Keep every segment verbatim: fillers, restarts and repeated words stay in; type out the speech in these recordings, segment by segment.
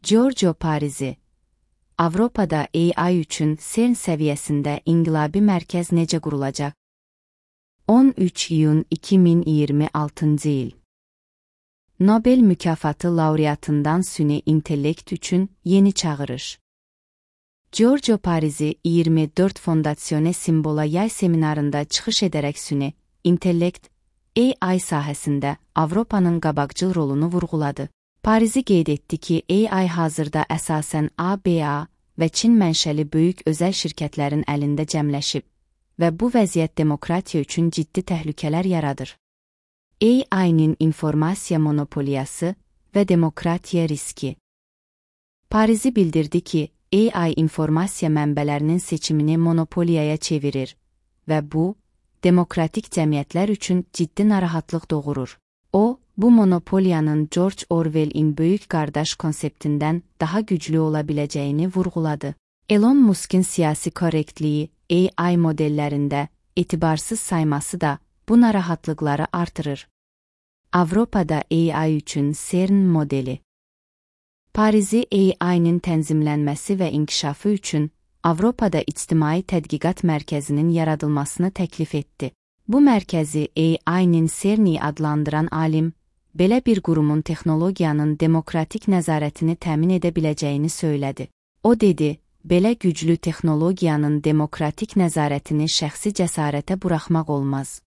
Giorgio Parisi, Avropada A I üçün CERN səviyyəsində inqilabi mərkəz necə qurulacaq? on üç iyun iki min iyirmi altıncı il. Nobel mükafatı laureatından süni intellekt üçün yeni çağırış. Giorgio Parisi iyirmi dörd Fondazione Simbola yay seminarında çıxış edərək süni intellekt A I sahəsində Avropanın qabaqcıl rolunu vurğuladı. Parisi qeyd etdi ki, A I hazırda əsasən A B A və Çin mənşəli böyük özəl şirkətlərin əlində cəmləşib və bu vəziyyət demokratiya üçün ciddi təhlükələr yaradır. A I-nin informasiya monopoliyası və demokratiya riski. Parisi bildirdi ki, A I informasiya mənbələrinin seçimini monopoliyaya çevirir və bu, demokratik cəmiyyətlər üçün ciddi narahatlıq doğurur. O, bu monopoliyanın George Orwell'in böyük qardaş konseptindən daha güclü ola biləcəyini vurğuladı. Elon Musk'ın siyasi korrektliyi A I modellərində etibarsız sayması da bu narahatlıqları artırır. Avropada A I üçün CERN modeli. Parisi A I-nin tənzimlənməsi və inkişafı üçün Avropada İctimai Tədqiqat Mərkəzinin yaradılmasını təklif etdi. Bu mərkəzi A I-nin CERN-i adlandıran alim, belə bir qurumun texnologiyanın demokratik nəzarətini təmin edə biləcəyini söylədi. O dedi, belə güclü texnologiyanın demokratik nəzarətini şəxsi cəsarətə buraxmaq olmaz.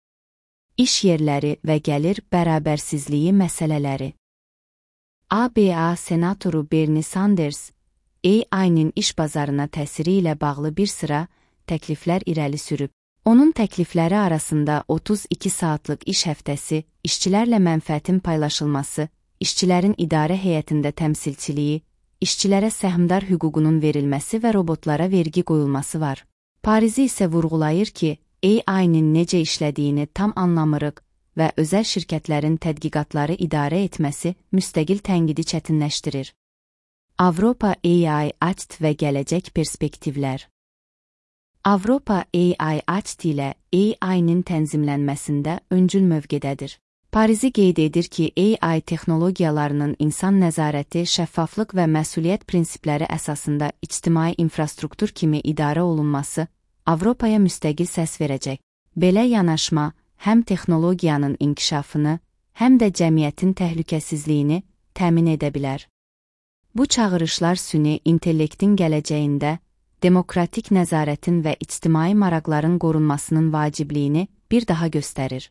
İş yerləri və gəlir bərabərsizliyi məsələləri. A B A senatoru Bernie Sanders, A I-nin iş bazarına təsiri ilə bağlı bir sıra təkliflər irəli sürüb. Onun təklifləri arasında otuz iki saatlıq iş həftəsi, işçilərlə mənfəətin paylaşılması, işçilərin idarə heyətində təmsilçiliyi, işçilərə səhmdar hüququnun verilməsi və robotlara vergi qoyulması var. Parisi isə vurğulayır ki, A I-nin necə işlədiyini tam anlamırıq və özəl şirkətlərin tədqiqatları idarə etməsi müstəqil tənqidi çətinləşdirir. Avropa A I Act və gələcək perspektivlər. Avropa A I Act ilə A I-nin tənzimlənməsində öncül mövqedədir. Parisi qeyd edir ki, A I texnologiyalarının insan nəzarəti, şəffaflıq və məsuliyyət prinsipləri əsasında ictimai infrastruktur kimi idarə olunması Avropaya müstəqil səs verəcək. Belə yanaşma həm texnologiyanın inkişafını, həm də cəmiyyətin təhlükəsizliyini təmin edə bilər. Bu çağırışlar süni intellektin gələcəyində demokratik nəzarətin və ictimai maraqların qorunmasının vacibliyini bir daha göstərir.